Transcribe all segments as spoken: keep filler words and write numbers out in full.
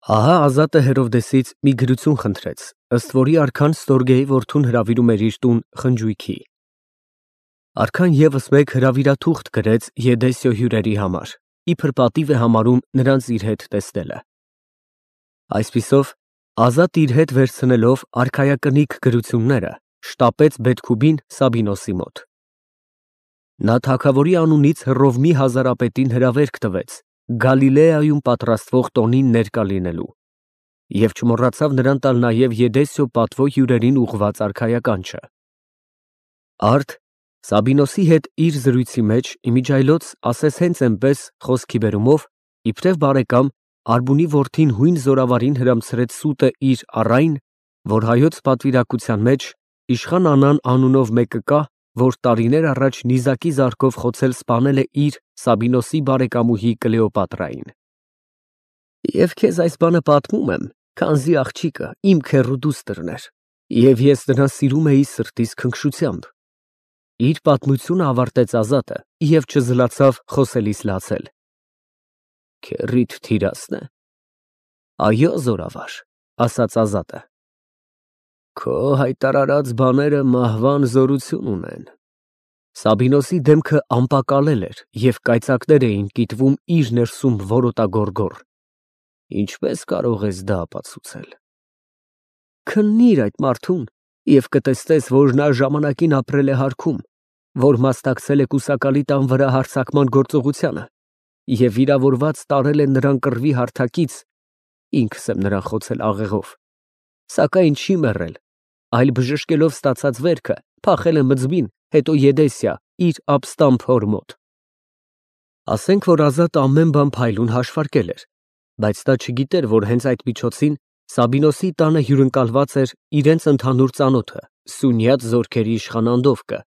Ահա Ազատը Հերովդեսից մի գրություն խնդրեց, ըստ որի արքան Ստորգեի որդուն հրավիրում էր իր տուն խնջույքի։ Արքան ևս մեկ հրավիրաթուղթ գրեց Եդեսիո հյուրերի համար, իբր պատիվ է համարում նրանց իր հետ տեսնելը։ Այսպիսով, Ազատը իր հետ վերցնելով արքայակնիկ գրությունները, շտապեց Բեթքուբին Սաբինոսի մոտ։ Նա թագավորի անունից Հռովմի հազարապետին հրավերք տվեց Գալիլեայում պատրաստվող տոնին ներկա լինելու և չմոռացավ նրան տալ նաև Եդեսիո պատվո հյուրերին ուղղված արքայականչը։ Արդ Սաբինոսի հետ իր զրույցի մեջ իմիջիայլոց ասես հենց այնպես խոսքի բերումով, իբրև բարեկամ, Արբունի որդին հույն զորավարին հրամցրեց սուտը իր առ այն, որ հայոց պատվիրակության մեջ իշխան Անան անունով մեկը կա, որ տարիներ առաջ նիզակի զարկով խոցել սպանել է իր Սաբինոսի բարեկամուհի Կլեոպատրային։ Եվ քեզ այս բանը պատմում եմ, քանզի աղջիկը իմ քեռու դուստրն էր, և ես նրան սիրում էի սրտիս քնքշությամբ։ Իր պատմությունը ավարտեց Ազատը և չզլացավ խոսելիս լացել։ Քեռիդ թիրասն է։ Այո, զորավար, ասաց Ազատը։ Քո հայտարարած բաները մահվան զորություն ունեն։ Սաբինոսի դեմքը անպակալել էր և կայծակներ էին կիտվում իր ներսում որոտագորգոր։ Ինչպես կարող ես դա ապացուցել։ Քննիր այդ մարդուն և կտեսնես, որ նա ժամանակին ապրել է հարքում, որ մասնակցել է կուսակալի տան վրա հարձակման գործողությանը և վիրավորված տարել է նրան կռվի հարթակից, ինքս եմ նրան խոցել աղեղով, սակայն չի մեռել, այլ բժշկելով ստացած վերքը փախել է Մձմին, հետո Եդեսիա, իր ապստամբ հոր մոտ։ Ասենք, որ Ազատը ամեն բան փայլուն հաշվարկել էր, բայց նա չգիտեր, որ հենց այդ միջոցին Սաբինոսի տանը հյուրընկալված էր իրենց ընդհանուր ծանոթը, Սյունյաց զորքերի իշխան Անդովկը,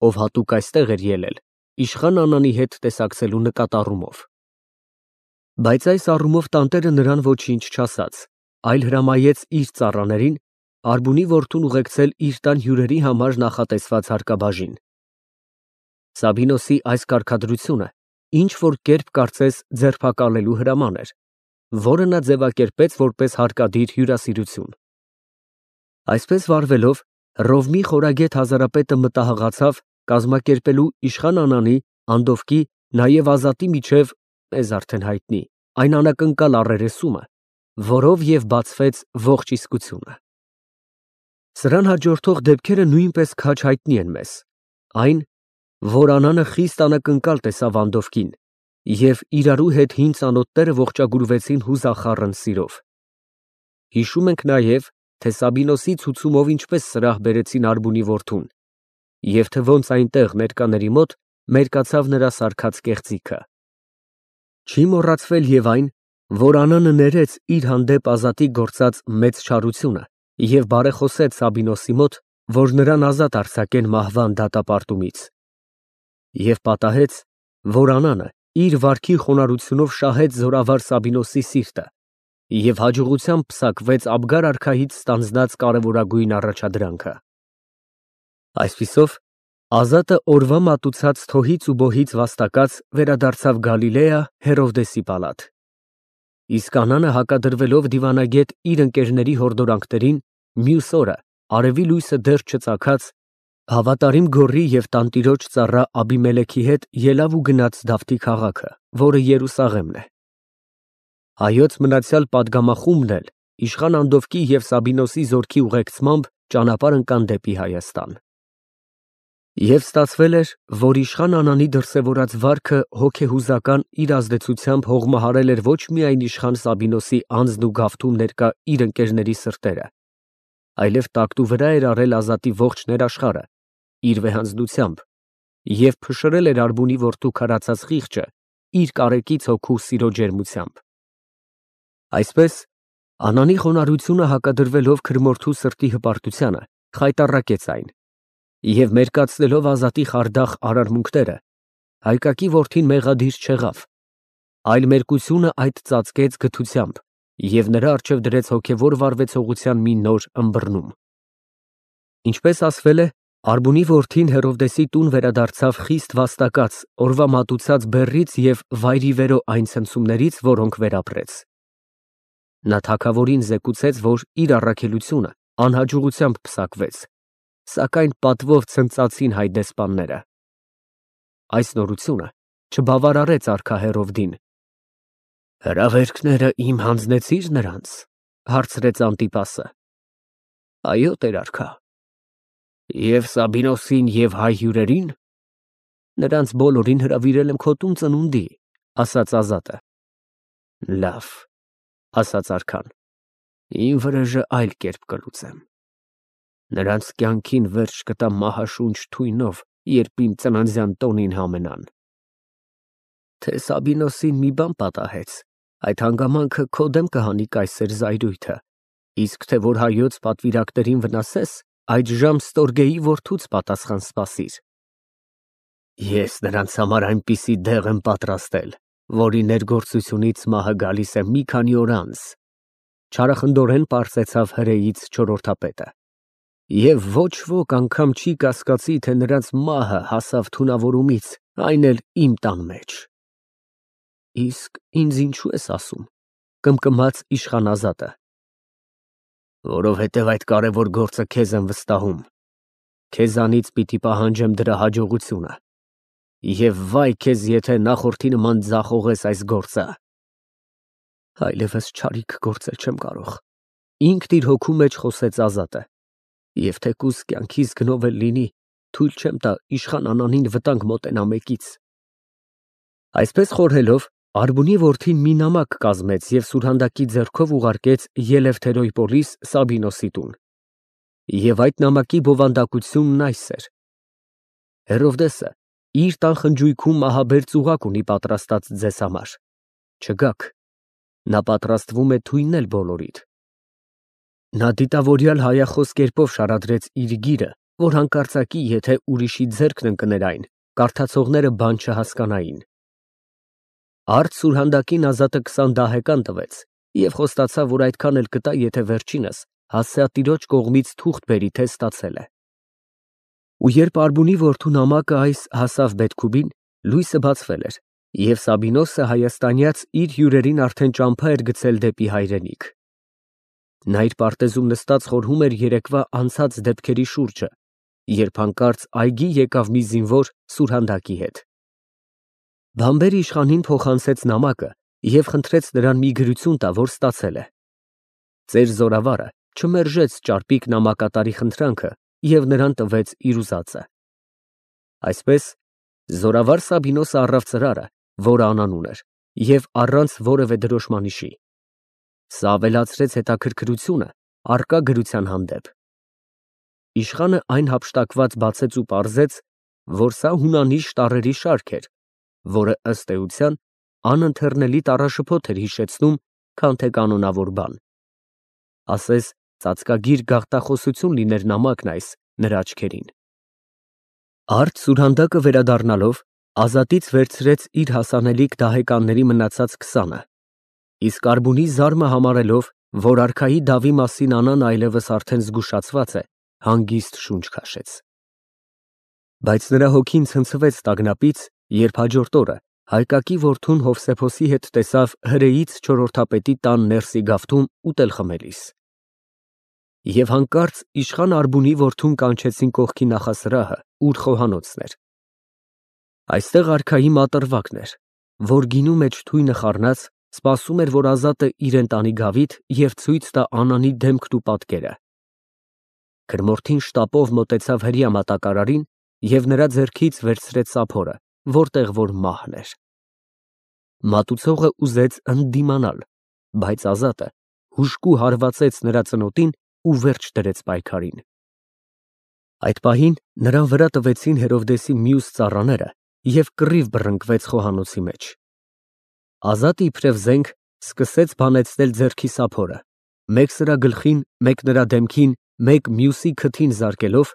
ով հատուկ այստեղ էր ելել իշխան Անանի հետ տեսակցելու նկատառումով։ Բայց այս առումով տանտերը նրան ոչինչ չասաց, այլ հրամայեց իր ծառաներին Արբունի որդուն ուղեկցել իր տան հյուրերի համար նախատեսված հարկաբաժին։ Սաբինոսի այս կարգադրությունը ինչ-որ կերպ կարծես ձերբակալելու հրաման էր, որը նա ձևակերպեց որպես հարկադիր հյուրասիրություն։ Այսպես վարվելով, Հռովմի խորագետ հազարապետը մտահղացավ կազմակերպելու իշխան Անանի, Անդովկի, նաև Ազատի միջև, մեզ արդեն հայտնի, այն անակնկալ առերեսումը, որով և բացվեց ողջ իսկությունը։ Սրան հաջորդող դեպքերը նույնպես քաջ հայտնի են մեզ, այն, որ Անանը խիստ անակնկալ տեսավ Անդովկին, և իրարու հետ հին ծանոթները ողջագուրվեցին հուզախառն սիրով։ Հիշում ենք նաև, թե Սաբինոսի ցուցումով ինչպես սրահ բերեցին Արբունի որդուն, և թե ոնց այնտեղ ներկաների մոտ մերկացավ նրա սարքած կեղծիքը։ Չի մոռացվել և այն, որ Անանը ներեց իր հանդեպ Ազատի գործած մեծ չարությունը և բարեխոսեց Սաբինոսի մոտ, որ նրան ազատ արձակեն մահվան դատապարտումից, և պատահեց, որ Անանը իր վարքի խոնարհությունով շահեց զորավար Սաբինոսի սիրտը և հաջողությամբ պսակվեց Աբգար արքայից ստանձնած կարևորագույն առաջադրանքը։ Այսպիսով, Ազատը օրվա մատուցած թոհից ու բոհից վաստակած վերադարձավ Գալիլեա Հերովդեսի պալատ։ Իսկ Անանը հակադրվելով դիվանագետ իր ընկերների հորդորանքներին, մյուս օրը, արևի լույսը դեռ չծագած, հավատարիմ գոռի և տանտիրոջ ծառա Աբիմելեքի հետ ելավ ու գնաց Դավթի քաղաքը, որը Երուսաղեմն է։ Հայոց մնացյալ պատգամախումբն էլ իշխան Անդովկի և Սաբինոսի զորքի ուղեկցմամբ ճանապարհ ընկան դեպի Հայաստան։ Եվ ստացվել էր, որ իշխան Անանի դրսևորած վարքը հոգեհուզական իր ազդեցությամբ հողմահարել էր ոչ միայն իշխան Սաբինոսի անձն ու գավթում ներկա իր ընկերների սրտերը, այլև տակտու վրա էր առել Ազատի ողջ ներաշխարհը իր վեհանձնությամբ և փշրել էր Արբունի որդու քարացած խիղճը իր կարեկից հոգու սիրո ջերմությամբ։ Այսպես, Անանի խոնարհությունը հակադրվելով քրմորդու սրտի հպարտությանը, խայտառակեց այն, և մերկացնելով Ազատի խարդախ արարմունքները, հայկակի որդին մեղադիր չեղավ, այլ մերկությունը այդ ծածկեց գթությամբ և նրա առջև դրեց հոգևոր վարվեցողության մի նոր ըմբռնում։ Ինչպես ասվել է, Արբունի որդին Հերովդեսի տուն վերադարձավ խիստ վաստակած օրվա մատուցած բեռից և վայրիվերո այն ցնցումներից, որոնք վերապրեց։ Նա թագավորին զեկուցեց, որ իր առաքելությունը անհաջողությամբ փսակվեց, սակայն պատվով ցնծացին հայ դեսպանները։ Այս նորությունը չբավարարեց արքա Հերովդին։ Հրավերքները իմ հանձնեցի՞ր նրանց, հարցրեց Անտիպասը։ Այո, տեր-արքա։ Եվ Սաբինոսին և հայ հյուրերին։ Նրանց բոլորին հրավիրել եմ քո տուն ծնունդի, ասաց Ազատը։ Լավ, ասաց արքան, իմ վրեժը այլ կերպ կլուծեմ։ Նրանց կյանքին վերջ կտամ մահաշունչ թույնով, երբ իմ ծննդյան տոնին համենան։ Թե Սաբինոսին մի բան պատահեց, այդ հանգամանքը քո դեմ կհանի կայսեր զայրույթը, իսկ թե որ հայոց պատվիրակներին վնասես, այդժամ Ստորգեի որդուց պատասխան սպասիր։ Ես նրանց համար այնպիսի դեղ եմ պատրաստել, որի ներգործությունից մահը գալիս է մի քանի օր անց, չարախնդորեն պարզեցավ հրեից չորրորդապետը։ Եվ ոչ ոք անգամ չի կասկածի, թե նրանց մահը հասավ թունավորումից, այն էլ իմ տան մեջ։ Իսկ ինձ ինչու ես ասում, կմկմաց իշխան Ազատը։ Որովհետև այդ կարևոր գործը քեզ եմ վստահում, քեզանից պիտի պահանջեմ դրա հաջողությունը, և վայ քեզ, եթե նախորդի նման ձախողես այս գործը։ Այլևս չարիք գործել չեմ կարող, ինքն իր հոգու մեջ խոսեց Ազատը, և թեկուզ կյանքիս գնով էլ լինի, թույլ չեմ տա իշխան Անանին վտանգ մոտենա մեկից։ Այսպես խորհելով, Արբունի որդին մի նամակ կազմեց և սուրհանդակի ձեռքով ուղարկեց Ելևթերոյպոլիս Սաբինոսի տուն։ Եվ այդ նամակի բովանդակությունն այս էր. Հերովդեսը իր տան խնջույքում մահաբեր ծուղակ ունի պատրաստած ձեզ համար, չգաք, նա պատրաստվում է թույնել բոլորիդ։ Նա դիտավորյալ հայախոս կերպով շարադրեց իր գիրը, որ հանկարծակի, եթե ուրիշի ձեռքն ընկներ այն, կարդացողները բան չհասկանային։ Արդ սուրհանդակին Ազատը քսան դահեկան տվեց և խոստացավ, որ այդքան էլ կտա, եթե վերջինս հասցեատիրոջ կողմից թուղթ բերի, թե ստացել է։ Ու երբ Արբունի որդու նամակը այս հասավ Բեթքուբին, լույսը բացվել էր, և Սաբինոսը հայաստանյաց իր հյուրերին արդեն ճամփա էր գցել դեպի հայրենիք։ Նա իր պարտեզում նստած խորհում էր երեկվա անցած դեպքերի շուրջը, երբ հանկարծ այգի եկավ մի զինվոր սուրհանդակի հետ։ Բամբեր իշխանին փոխանցեց նամակը և խնդրեց նրան մի գրություն տա, որ ստացել է։ Ծեր զորավարը չմերժեց ճարպիկ նամակատարի խնդրանքը և նրան տվեց իր ուզածը։ Այսպես զորավար Սաբինոսը առավ ծրարը, որը անանուն էր, և առանց որևէ դրոշմանիշի։ Սա ավելացրեց հետաքրքրությունը առկա գրության հանդեպ։ Իշխանը այն հափշտակված բացեց ու պարզեց, որ սա հունանիշ տառերի շարք էր, որը ըստ էության անընթեռնելի տառաշփոթ էր հիշեցնում, քան թե կանոնավոր բան։ Ասես ծածկագիր գաղտախոսություն լիներ նամակն այս նրա աչքերին։ Արդ սուրհանդակը վերադառնալով, Ազատից վերցրեց իր հասանելիք դահեկանների մնացած քսանը, իսկ Արբունի զարմը համարելով, որ արքայի դավի մասին Անան այլևս արդեն զգուշացված է, հանգիստ շունչ քաշեց։ Բայց նրա հոգին ցնցվեց տագնապից, երբ հաջորդ օրը Հայկակի որդուն Հովսեփոսի հետ տեսավ հրեից չորրորդապետի տան ներսի գավթում ուտել խմելիս։ Եվ հանկարծ իշխան Արբունի որդուն կանչեցին կողքի նախասրահը, ուր խոհանոցն էր։ Այստեղ արքայի մատրվակն էր, որ գինու մեջ թույնը խառնած սպասում էր, որ Ազատը իրեն տանի գավիթ և ցույց տա Անանի դեմքն ու պատկերը։ Քրմորթին շտապով մոտեցավ հրեա մատակարարին և նրա ձեռքից վերցրեց սափորը, որտեղ որ մահն էր։ Մատուցողը ուզեց ընդդիմանալ, բայց Ազատը հուժկու հարվածեց նրա ծնոտին ու վերջ դրեց պայքարին։ Այդ պահին նրան վրա տվեցին Հերովդեսի մյուս ծառաները և կռիվ բռնկվեց խոհանոցի մեջ։ Ազատը իբրև զենք սկսեց բանեցնել ձեռքի սափորը, մեկ սրա գլխին, մեկ նրա դեմքին, մեկ մյուսի քթին զարկելով,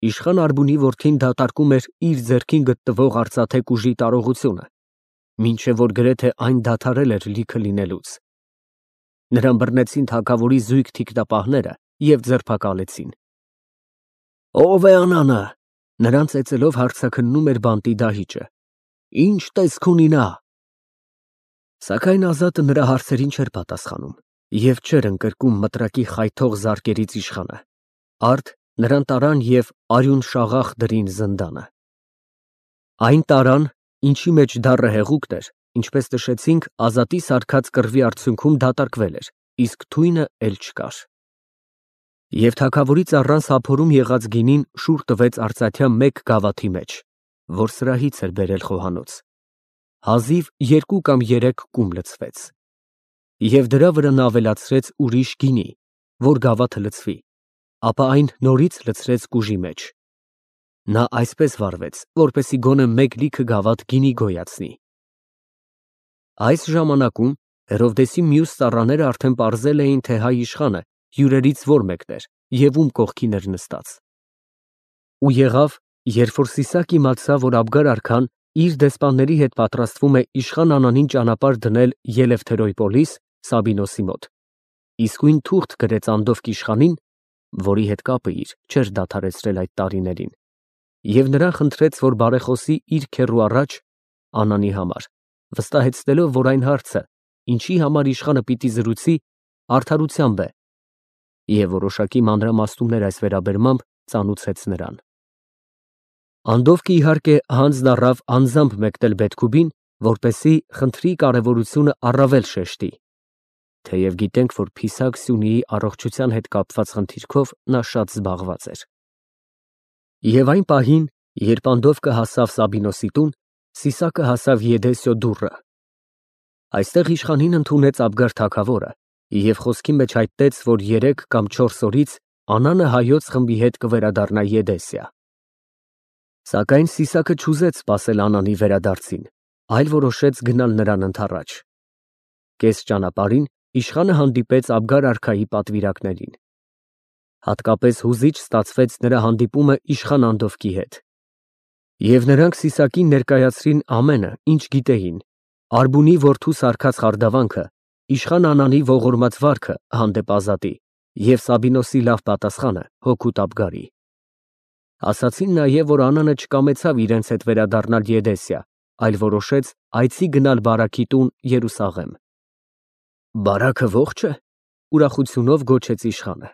իշխան Արբունի որդին դատարկում էր իր ձեռքին գտնվող արծաթե ուժի տարողությունը, մինչև որ գրեթե այն դադարել էր լիքը լինելուց։ Նրան բռնեցին թագավորի զույգ թիկնապահները և ձերբակալեցին։ Ո՞վ է Անանը, նրան ծեծելով հարցաքննում էր բանտի դահիճը։ Ի՞նչ տեսք ունի նա։ Սակայն Ազատը նրա հարցերին չէր պատասխանում։ Եվ չէր ընկրկում մտրակի խայթող զարկերից իշխանը, արդ նրան տարան և արյուն շաղախ դրին զնդանը։ Այն տարան, ինչի մեջ դառը հեղուկն էր, ինչպես նշեցինք, Ազատի սարքած կռվի արդյունքում դատարկվել էր, իսկ թույնը էլ չկար։ Եվ թագավորի ծառան սափորում եղած գինին շուռ տվեց արծաթյա մեկ գավաթի մեջ, որ սրահից էր բերել խոհանոց, հազիվ երկու կամ երեք կում լցվեց։ Եվ դրա վրա նա ավելացրեց ուրիշ գինի, որ գավաթը լցվի, ապա այն նորից լցրեց կուժի մեջ։ Նա այսպես վարվեց, որպեսզի գոնե մեկ լիքը գավաթ գինի գոյացնի։ Այս ժամանակում Հերովդեսի մյուս ծառաները արդեն պարզել էին, թե հայ իշխանը հյուրերից որ մեկն էր և ում կողքին էր նստած։ Ու եղավ, երբ որ Սիսակ իմացավ, որ Աբգար արքան իր դեսպանների հետ պատրաստվում է իշխան Անանին ճանապարհ դնել Ելևթերոյպոլիս Սաբինոսի մոտ, իսկույն թուղթ գրեց Անդովկ իշխանին, որի հետ կապը իր չէր դադարեցրել այդ տարիներին, և նրան խնդրեց, որ բարեխոսի իր քեռու առաջ Անանի համար, վստահեցնելով, որ այն հարցը, ինչի համար իշխանը պիտի զրուցի, արդարությամբ է, և որոշակի մանրամասնումներ այս վերաբերմամբ ծանուցեց նրան։ Անդովկը իհարկե հանձն առավ անձամբ մեկնել Բեթքուբին, որպեսզի խնդրի կարևորությունը առավել շեշտի, թեև գիտենք, որ Փիսակ Սյունիի առողջության հետ կապված խնդիրքով նա շատ զբաղված էր։ Եվ այն պահին, երբ Անդովկը հասավ Սաբինոսի տուն, Սիսակը հասավ Եդեսիո դուռը։ Այստեղ իշխանին ընդունեց Աբգար թագավորը և խոսքի մեջ հայտնեց, որ երեք կամ չորս օրից Անանը հայոց խմբի հետ կվերադառնա Եդեսիա։ Սակայն Սիսակը չուզեց սպասել Անանի վերադարձին, այլ որոշեց գնալ նրան ընդառաջ։ Կես ճանապարհին իշխանը հանդիպեց Աբգար արքայի պատվիրակներին։ Հատկապես հուզիչ ստացվեց նրա հանդիպումը իշխան Անդովկի հետ։ Եվ նրանք Սիսակին ներկայացրին ամենը, ինչ գիտեին, Արբունի որդու սարքած խարդավանքը, իշխան Անանի ողորմած վարքը հանդեպ Ազատի և Սաբինոսի լավ պատասխանը հօգուտ Աբգարի։ Ասացին նաև, որ Անանը չկամեցավ իրենց հետ վերադառնալ Եդեսիա, այլ որոշեց այցի գնալ Բարաքի տուն Երուսաղեմ։ Բարաքը ողջ է, ուրախությունով գոչեց իշխանը։